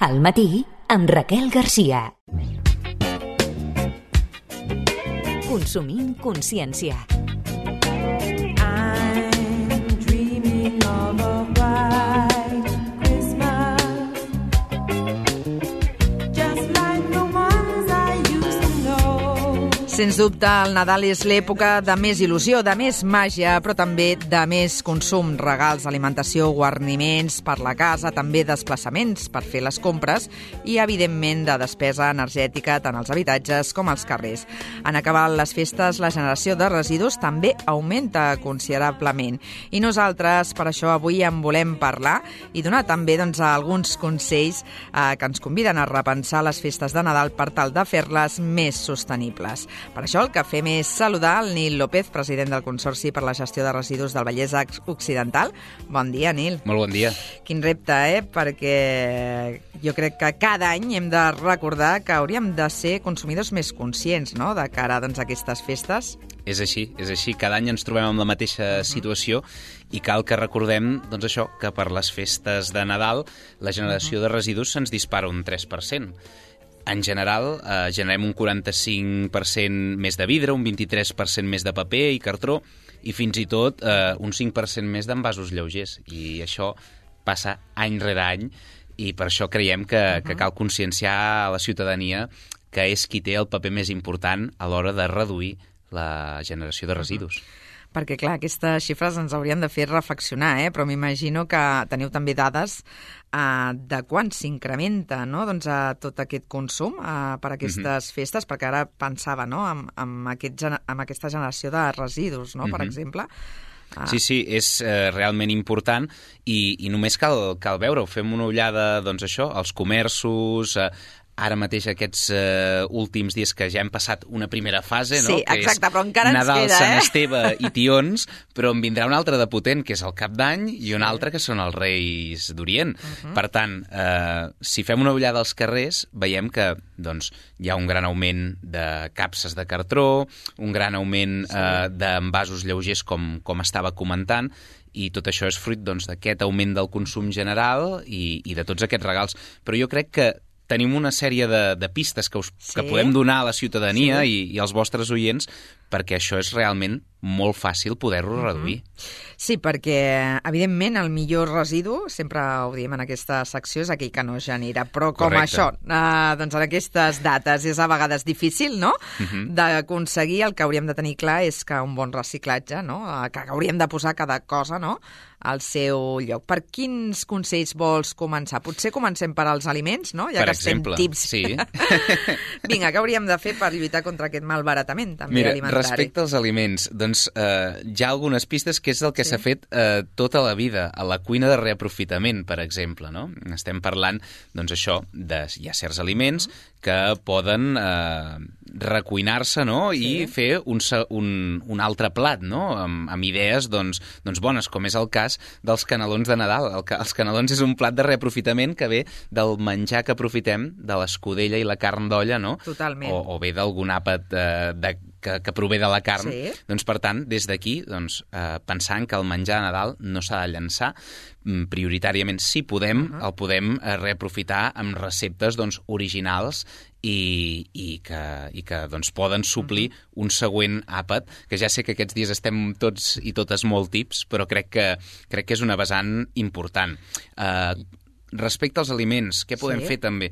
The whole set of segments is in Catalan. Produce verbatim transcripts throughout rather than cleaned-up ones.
Al matí, amb Raquel Garcia. Consumint consciència. Sens dubte, el Nadal és l'època de més il·lusió, de més màgia, però també de més consum, regals, alimentació, guarniments per la casa, també desplaçaments per fer les compres i, evidentment, de despesa energètica tant als habitatges com als carrers. En acabar les festes, la generació de residus també augmenta considerablement. I nosaltres, per això, avui en volem parlar i donar també doncs, alguns consells eh, que ens conviden a repensar les festes de Nadal per tal de fer-les més sostenibles. Per això el que fem és saludar el Nil López, president del Consorci per la Gestió de Residus del Vallès Occidental. Bon dia, Nil. Molt bon dia. Quin repte, eh? Perquè jo crec que cada any hem de recordar que hauríem de ser consumidors més conscients, no?, de cara doncs, a aquestes festes. És així, és així. Cada any ens trobem amb la mateixa situació i cal que recordem doncs això, que per les festes de Nadal la generació de residus se'ns dispara un tres per cent. En general, eh, generem un quaranta-cinc per cent més de vidre, un vint-i-tres per cent més de paper i cartró i fins i tot eh, un cinc per cent més d'envasos lleugers. I això passa any rere any i per això creiem que, uh-huh. que cal conscienciar a la ciutadania que és qui té el paper més important a l'hora de reduir la generació de residus. Uh-huh. Perquè, clar, aquestes xifres ens haurien de fer reflexionar, eh? Però m'imagino que teniu també dades eh, de quan s'incrementa, no?, doncs, a tot aquest consum eh, per aquestes uh-huh. festes, perquè ara pensava, no?, amb, amb, aquest, amb aquesta generació de residus, no?, uh-huh. per exemple. Ah. Sí, sí, és eh, realment important i, i només cal, cal veure-ho. Fem una ullada, doncs això, als comerços, eh, ara mateix aquests uh, últims dies que ja hem passat una primera fase, no? Sí, exacte, però encara ens Nadal, queda, eh? Sant Esteve i tions, però en vindrà un altre de potent, que és el Cap d'Any, i un altre que són els Reis d'Orient. Uh-huh. Per tant, eh, si fem una ullada als carrers, veiem que doncs, hi ha un gran augment de capses de cartró, un gran augment sí. eh, d'envasos lleugers, com, com estava comentant, i tot això és fruit doncs, d'aquest augment del consum general i, i de tots aquests regals. Però jo crec que tenim una sèrie de, de pistes que, us, sí. que podem donar a la ciutadania sí. i, i als vostres oients perquè això és realment molt fàcil poder-ho uh-huh. reduir. Sí, perquè, evidentment, el millor residu, sempre ho diem en aquesta secció, és aquell que no genera. Però com Correcte. això, eh, doncs en aquestes dates és a vegades difícil, no?, uh-huh. d'aconseguir. El que hauríem de tenir clar és que un bon reciclatge, no?, que hauríem de posar cada cosa, no?, al seu lloc. Per quins consells vols començar? Potser comencem per als aliments, no?, ja per que exemple, estem tips. Sí. Vinga, què hauríem de fer per lluitar contra aquest malbaratament també Mira, alimentari? respecte als aliments, doncs eh, hi ha algunes pistes que és el que sí. s'ha fet eh, tota la vida, a la cuina de reaprofitament, per exemple, no? Estem parlant, doncs això, de, hi ha certs aliments que poden eh, recuinar-se, no?, sí. i fer un, un, un altre plat, no?, amb, amb idees, doncs, doncs bones, com és el cas dels canelons de Nadal. El, els canelons és un plat de reaprofitament que ve del menjar que aprofitem de l'escudella i la carn d'olla, no? Totalment. O, o bé d'algun àpat eh, de, que, que prové de la carn. Sí. Doncs, per tant, des d'aquí, doncs, eh, pensant que el menjar a Nadal no s'ha de llançar, prioritàriament, si podem, uh-huh. el podem eh, reaprofitar amb receptes doncs, originals i, i que, i que doncs, poden suplir uh-huh. un següent àpat, que ja sé que aquests dies estem tots i totes molt tips, però crec que, crec que és una vessant important. Eh, respecte als aliments, què podem sí. fer també?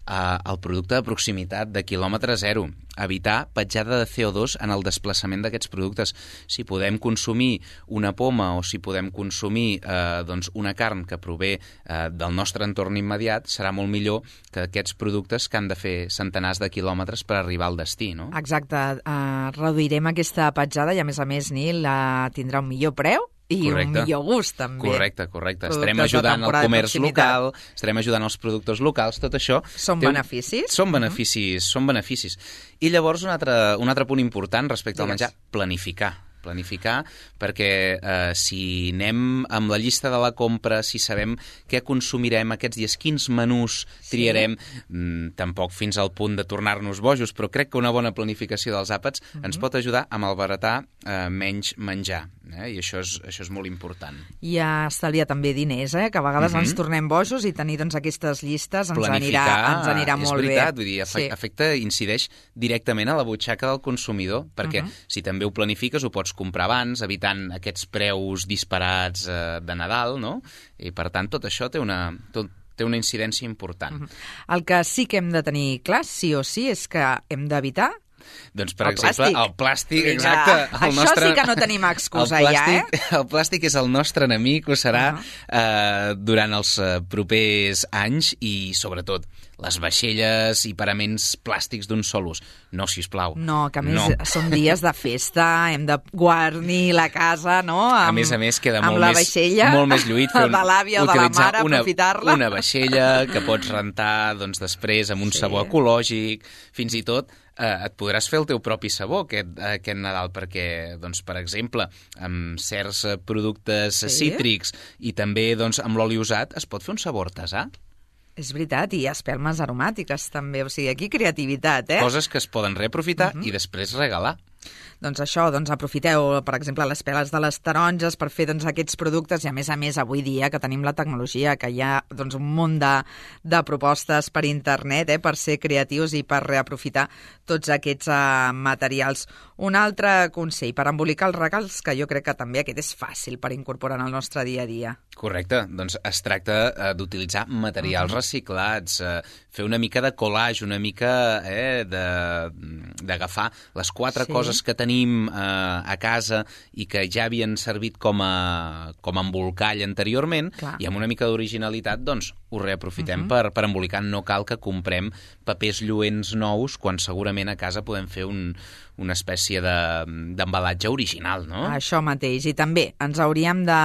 Uh, el producte de proximitat de quilòmetre zero, evitar petjada de C O dos en el desplaçament d'aquests productes. Si podem consumir una poma o si podem consumir uh, doncs una carn que prové uh, del nostre entorn immediat, serà molt millor que aquests productes que han de fer centenars de quilòmetres per arribar al destí, no? Exacte. Uh, reduirem aquesta petjada i, a més a més, Nil, uh, tindrà un millor preu i correcte. Un millor gust, també. Correcte, correcte. Productes estarem ajudant al comerç local, estarem ajudant els productors locals, tot això... Són beneficis? Són beneficis, uh-huh. són beneficis. I llavors un altre, un altre punt important respecte Digues. Al menjar, planificar. planificar, perquè eh, si anem amb la llista de la compra, si sabem què consumirem aquests dies, quins menús triarem, sí. mm, tampoc fins al punt de tornar-nos bojos, però crec que una bona planificació dels àpats uh-huh. ens pot ajudar a malbaratar eh, menys menjar, eh? I això és, això és molt important. I a estalviar també diners, eh? Que a vegades uh-huh. ens tornem bojos i tenir doncs, aquestes llistes ens planificar, anirà, ens anirà molt bé. És veritat, vull dir, afecta, sí. afecta, incideix directament a la butxaca del consumidor, perquè uh-huh. si també ho planifiques ho pots comprar abans, evitant aquests preus disparats eh, de Nadal, no? I per tant tot això té una, tot, té una incidència important. Uh-huh. El que sí que hem de tenir clar, sí o sí, és que hem d'evitar doncs, per el exemple, plàstic. el plàstic, exacte. El Això nostre, sí que no tenim excusa el plàstic, ja, eh? El plàstic és el nostre enemic, ho serà uh-huh. eh, durant els eh, propers anys i, sobretot, les vaixelles i paraments plàstics d'un sol ús. No, sisplau. No, que a més no. són dies de festa, hem de guarnir la casa, no? Amb, a més a més, queda molt, amb la més, vaixella, molt més lluït fer un, de l'àvia o de la mare, una, aprofitar-la. Una vaixella que pots rentar doncs, després amb un sí. sabó ecològic, fins i tot eh, et podràs fer el teu propi sabó aquest, aquest Nadal, perquè, doncs, per exemple, amb certs productes sí. cítrics i també doncs, amb l'oli usat es pot fer un sabó artesà. És veritat, i espelmes aromàtiques també, o sigui, aquí creativitat, eh? Coses que es poden reaprofitar uh-huh. i després regalar. Doncs això, doncs aprofiteu, per exemple, les peles de les taronges per fer doncs, aquests productes i, a més a més, avui dia que tenim la tecnologia, que hi ha doncs, un munt de, de propostes per internet eh, per ser creatius i per reaprofitar tots aquests uh, materials. Un altre consell per embolicar els regals, que jo crec que també aquest és fàcil per incorporar en el nostre dia a dia. Correcte, doncs es tracta uh, d'utilitzar materials uh-huh. reciclats, uh, fer una mica de collage, una mica eh, d'agafar les quatre sí. coses que tenim eh, a casa i que ja havien servit com a, com a embolcall anteriorment. Clar. I amb una mica d'originalitat doncs ho reaprofitem uh-huh. per, per embolicar. No cal que comprem papers lluents nous quan segurament a casa podem fer un, una espècie d'embalatge de, original, no? Això mateix. I també ens hauríem de,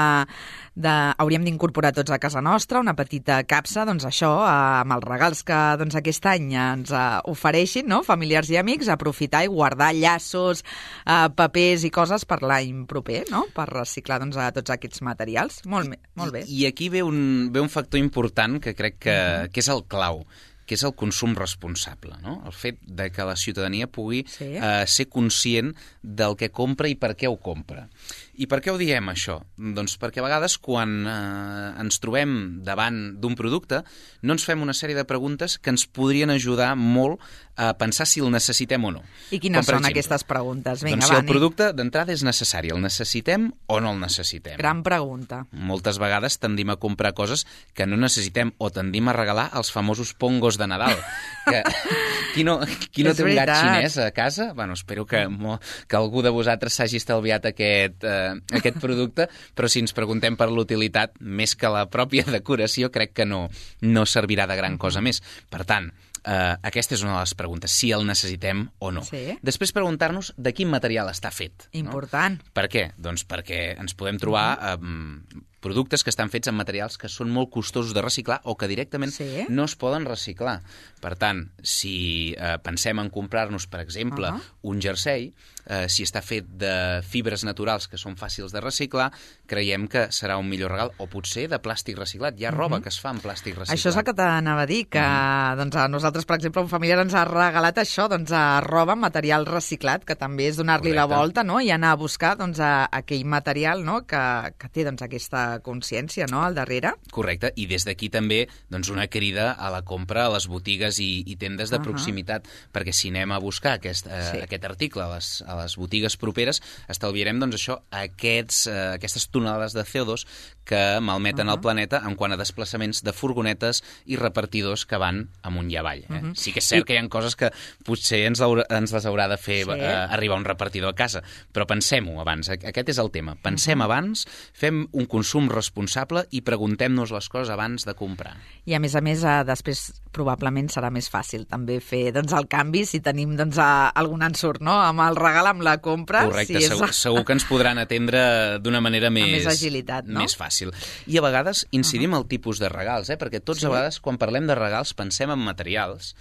de hauríem d'incorporar tots a casa nostra una petita capsa, doncs això, amb els regals que doncs, aquest any ens uh, ofereixin, no? Familiars i amics, aprofitar i guardar llaços, uh, papers i coses per l'any proper, no? Per reciclar doncs, a tots aquests materials. Molt, molt bé. I, i aquí ve un, ve un factor important que crec que, uh-huh. que és el clau, que és el consum responsable, no? El fet de que la ciutadania pugui sí. eh, ser conscient del que compra i per què ho compra. I per què ho diem, això? Doncs perquè a vegades quan eh, ens trobem davant d'un producte no ens fem una sèrie de preguntes que ens podrien ajudar molt a pensar si el necessitem o no. I quines Com, són exemple, aquestes preguntes? Vinga, doncs va, si el producte d'entrada és necessari, el necessitem o no el necessitem? Gran pregunta. Moltes vegades tendim a comprar coses que no necessitem o tendim a regalar els famosos pongos de Nadal. Que, qui no, qui no té un gat xinès a casa? Bueno, espero que, que algú de vosaltres s'hagi estalviat aquest, eh, aquest producte, però si ens preguntem per l'utilitat, més que la pròpia decoració, crec que no, no servirà de gran cosa més. Per tant, Uh, aquesta és una de les preguntes, si el necessitem o no. Sí. Després preguntar-nos de quin material està fet. Important. No? Per què? Doncs perquè ens podem trobar um, productes que estan fets amb materials que són molt costosos de reciclar o que directament sí. no es poden reciclar. Per tant, si uh, pensem en comprar-nos, per exemple, uh-huh. un jersei, uh, si està fet de fibres naturals que són fàcils de reciclar, creiem que serà un millor regal, o potser de plàstic reciclat. Hi ha roba uh-huh. que es fa amb plàstic reciclat. Això és el que t'anava a dir, que uh-huh. doncs, a nosaltres, per exemple, un familiar ens ha regalat això, doncs, a roba amb material reciclat, que també és donar-li la volta, no?, i anar a buscar doncs, a aquell material, no?, que, que té doncs, aquesta consciència, no?, al darrere. Correcte, i des d'aquí també doncs, una crida a la compra a les botigues i, i tendes de uh-huh. proximitat, perquè si anem a buscar aquest, eh, sí. aquest article a les, a les botigues properes, estalviarem doncs, això, aquests, eh, aquestes tonelades de C O dos que malmeten uh-huh. el planeta en quant a desplaçaments de furgonetes i repartidors que van amunt i avall. Eh? Uh-huh. Sí que és cert I... que hi ha coses que potser ens, haurà, ens les haurà de fer sí. eh, arribar un repartidor a casa, però pensem-ho abans. Aquest és el tema. Pensem uh-huh. abans, fem un consum responsable i preguntem-nos les coses abans de comprar. I a més a més, eh, després probablement serà més fàcil també fer doncs, el canvi si tenim doncs, a, algun ensurt, no?, amb el regal, amb la compra. Correcte, si és... segur, segur que ens podran atendre d'una manera més, més agilitat, no? Més fàcil. I a vegades incidim uh-huh. al tipus de regals, eh? Perquè tots sí. a vegades quan parlem de regals pensem en materials,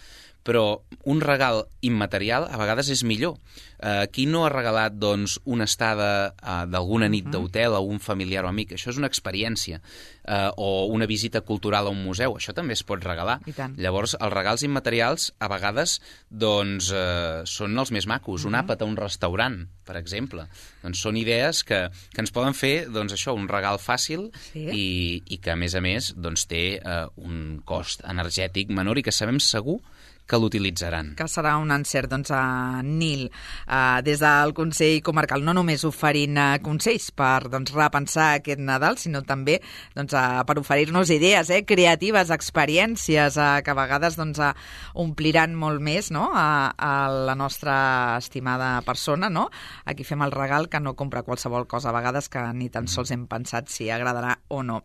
però un regal immaterial a vegades és millor. Uh, qui no ha regalat doncs, una estada uh, d'alguna nit uh-huh. d'hotel a un familiar o amic? Això és una experiència. Uh, o una visita cultural a un museu, això també es pot regalar. Llavors, els regals immaterials a vegades doncs, uh, són els més macos. Uh-huh. Un àpat a un restaurant, per exemple. Doncs són idees que, que ens poden fer doncs, això, un regal fàcil sí. i, i que, a més a més, doncs, té uh, un cost energètic menor i que sabem segur que l'utilitzaran. Que serà un encert, doncs, a Nil, eh, des del Consell Comarcal, no només oferint eh, consells per doncs, repensar aquest Nadal, sinó també doncs, eh, per oferir-nos idees eh, creatives, experiències eh, que a vegades doncs, eh, ompliran molt més no? a, a la nostra estimada persona, no? A qui fem el regal, que no compra qualsevol cosa a vegades que ni tan sols hem pensat si agradarà o no.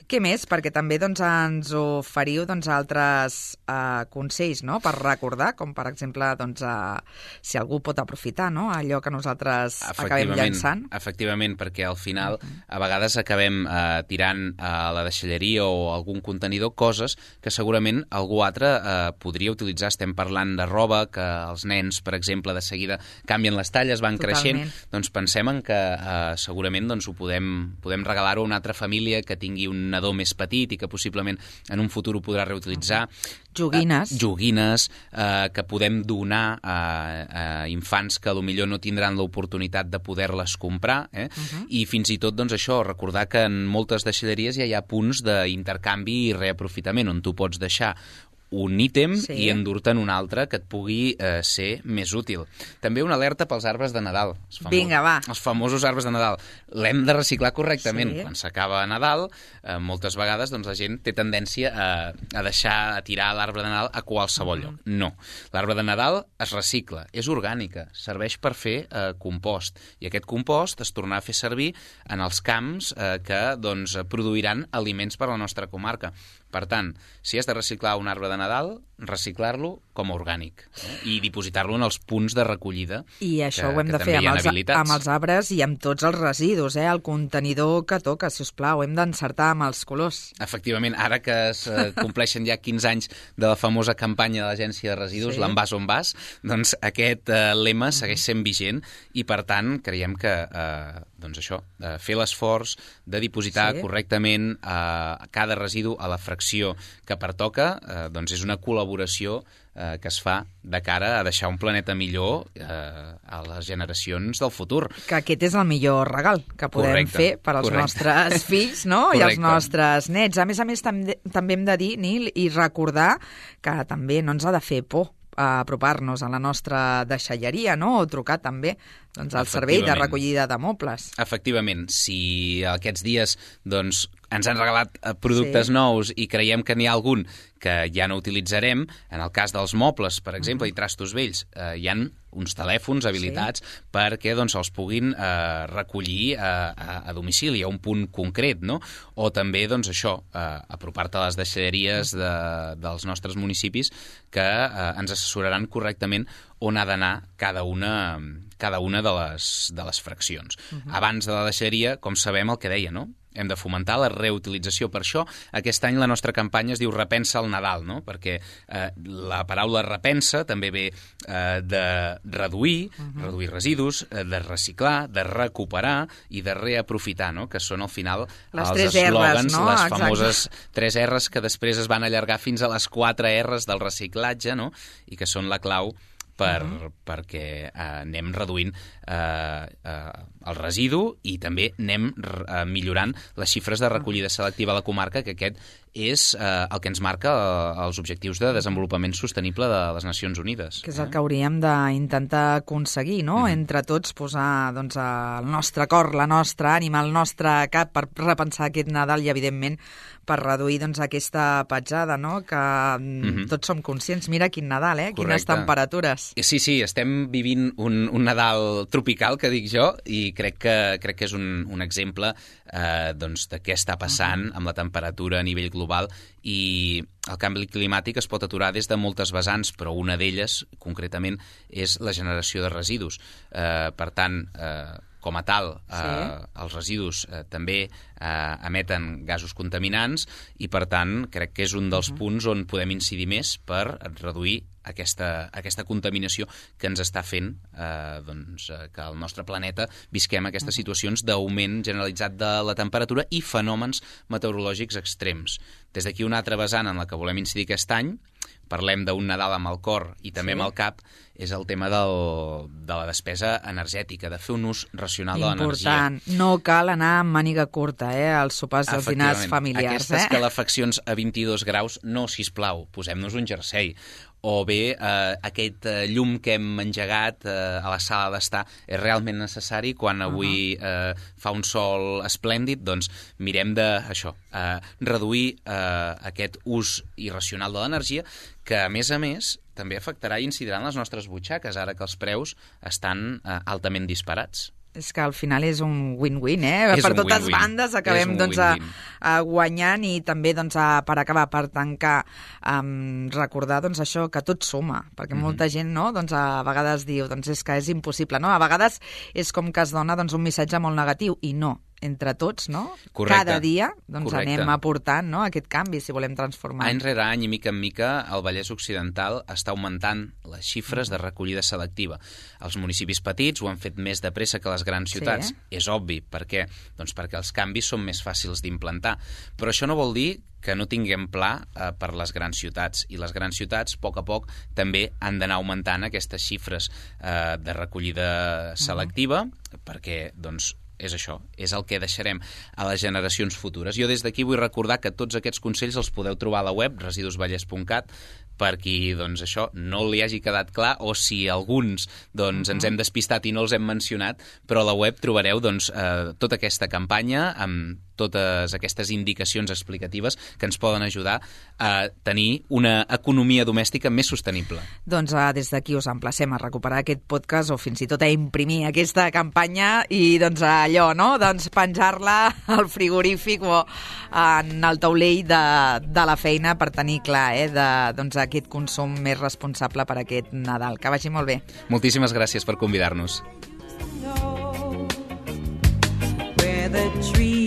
Què més? Perquè també doncs, ens oferiu doncs, altres eh, consells, no? Per recordar, com per exemple doncs, uh, si algú pot aprofitar no? allò que nosaltres acabem llançant. Efectivament, perquè al final uh-huh. a vegades acabem uh, tirant a la deixalleria o algun contenidor coses que segurament algú altre uh, podria utilitzar. Estem parlant de roba, que els nens, per exemple, de seguida canvien les talles, van Totalment. creixent, doncs pensem en que uh, segurament doncs, ho podem, podem regalar-ho a una altra família que tingui un nadó més petit i que possiblement en un futur ho podrà reutilitzar. Uh-huh. Joguines. Uh, joguines eh, que podem donar a, a infants que potser no tindran l'oportunitat de poder-les comprar. Eh? Uh-huh. I fins i tot doncs, això, recordar que en moltes deixalleries ja hi ha punts d'intercanvi i reaprofitament on tu pots deixar un ítem sí. i endur-te'n un altre que et pugui eh, ser més útil. També una alerta pels arbres de Nadal. Els famos, Vinga, va. Els famosos arbres de Nadal. L'hem de reciclar correctament. Sí. Quan s'acaba Nadal, eh, moltes vegades doncs, la gent té tendència a, a deixar, a tirar l'arbre de Nadal a qualsevol lloc. Uh-huh. No. L'arbre de Nadal es recicla, és orgànica, serveix per fer eh, compost. I aquest compost es tornarà a fer servir en els camps eh, que doncs, produiran aliments per a la nostra comarca. Per tant, si has de reciclar un arbre de Nadal, reciclar-lo com a orgànic eh? i dipositar-lo en els punts de recollida. I això que, ho hem de fer amb els, amb els arbres i amb tots els residus, eh? El contenidor que toca, si us plau, hem d'encertar amb els colors. Efectivament, ara que es eh, compleixen ja quinze anys de la famosa campanya de l'Agència de Residus, sí. l'envàs on vas, doncs aquest eh, lema segueix sent vigent i, per tant, creiem que eh, doncs això, eh, fer l'esforç de dipositar sí. correctament eh, cada residu a la fracció que pertoca, eh, doncs és una col·laboració eh, que es fa de cara a deixar un planeta millor eh, a les generacions del futur. Que aquest és el millor regal que podem correcte, fer per als correcte. nostres fills no? i als nostres nets. A més a més, també, també hem de dir, Nil, i recordar que també no ens ha de fer por a apropar-nos a la nostra deixalleria, no? O trucar també doncs, al servei de recollida de mobles. Efectivament, si aquests dies doncs, ens han regalat productes sí. nous i creiem que n'hi ha algun que ja no utilitzarem, en el cas dels mobles, per exemple, uh-huh. i trastos vells, eh, hi ha uns telèfons habilitats sí. perquè doncs, els puguin eh, recollir a, a, a domicili, a un punt concret, no? O també, doncs, això, eh, apropar-te a les deixalleries de, dels nostres municipis que eh, ens assessoraran correctament on ha d'anar cada una, cada una de les, de les fraccions. Uh-huh. Abans de la deixalleria, com sabem, el que deia, no? Hem de fomentar la reutilització. Per això, aquest any la nostra campanya es diu Repensa el Nadal, no? Perquè eh, la paraula repensa també ve eh, de reduir, uh-huh. reduir residus, eh, de reciclar, de recuperar i de reaprofitar, no? Que són al final les els R's, eslògans, no? les Exacte. famoses tres R's que després es van allargar fins a les quatre R's del reciclatge, no? I que són la clau per, uh-huh. perquè eh, anem reduint eh, eh, el residu i també anem eh, millorant les xifres de recollida selectiva a la comarca, que aquest és eh, el que ens marca eh, els objectius de desenvolupament sostenible de les Nacions Unides. Que és el que hauríem d'intentar aconseguir, no? Mm. Entre tots posar doncs, el nostre cor, la nostra ànima, el nostre cap per repensar aquest Nadal i, evidentment, per reduir doncs, aquesta petjada, no? Que mm-hmm. tots som conscients. Mira quin Nadal, eh? Correcte. Quines temperatures. Sí, sí, estem vivint un, un Nadal tropical, que dic jo, i crec que, crec que és un, un exemple eh, doncs, de què està passant uh-huh. amb la temperatura a nivell global, i el canvi climàtic es pot aturar des de moltes vessants, però una d'elles, concretament, és la generació de residus. Eh, per tant, eh, com a tal, eh, sí. els residus eh, també eh, emeten gasos contaminants i, per tant, crec que és un dels uh-huh. punts on podem incidir més per reduir aquesta, aquesta contaminació que ens està fent eh, doncs, eh, que al nostre planeta visquem aquestes situacions d'augment generalitzat de la temperatura i fenòmens meteorològics extrems. Des d'aquí una altra vessant en la que volem incidir aquest any, parlem d'un Nadal amb el cor i també sí. amb el cap, és el tema del, de la despesa energètica, de fer un ús racional Important. de l'energia. Important. No cal anar amb màniga curta, eh, als sopars i als dinars familiars. Aquestes eh? calefaccions a vint-i-dos graus, no, sisplau, posem-nos un jersei. O bé eh, aquest eh, llum que hem engegat eh, a la sala d'estar és realment necessari quan avui uh -huh. eh, fa un sol esplèndid, doncs mirem de això, eh, reduir eh, aquest ús irracional de l'energia que, a més a més, també afectarà i incidirà en les nostres butxaques, ara que els preus estan eh, altament disparats. És que al final és un win-win, eh? És per un totes win-win. bandes acabem doncs, a, a guanyant i també doncs, a, per acabar, per tancar, um, recordar doncs, això que tot suma, perquè mm-hmm. molta gent no, doncs, a vegades diu doncs, és que és impossible. No? A vegades és com que es dona doncs, un missatge molt negatiu i no. Entre tots, no? Correcte. Cada dia doncs, Correcte. anem aportant no? aquest canvi si volem transformar. Any rere any i mica en mica el Vallès Occidental està augmentant les xifres de recollida selectiva. Els municipis petits ho han fet més de pressa que les grans ciutats. Sí. És obvi. Per què? Doncs perquè els canvis són més fàcils d'implantar. Però això no vol dir que no tinguem pla eh, per les grans ciutats. I les grans ciutats, a poc a poc, també han d'anar augmentant aquestes xifres eh, de recollida selectiva, uh-huh. perquè, doncs, és això, és el que deixarem a les generacions futures. Jo des d'aquí vull recordar que tots aquests consells els podeu trobar a la web residus vallès punt cat per qui, doncs, això no li hagi quedat clar o si alguns doncs, uh-huh. ens hem despistat i no els hem mencionat, però a la web trobareu doncs, eh, tota aquesta campanya amb totes aquestes indicacions explicatives que ens poden ajudar a tenir una economia domèstica més sostenible. Doncs uh, des d'aquí us emplacem a recuperar aquest podcast o fins i tot a imprimir aquesta campanya i doncs allò, no? Doncs penjar-la al frigorífic o en el taulell de, de la feina per tenir clar eh, de, doncs, aquest consum més responsable per aquest Nadal. Que vagi molt bé. Moltíssimes gràcies per convidar-nos. Where the tree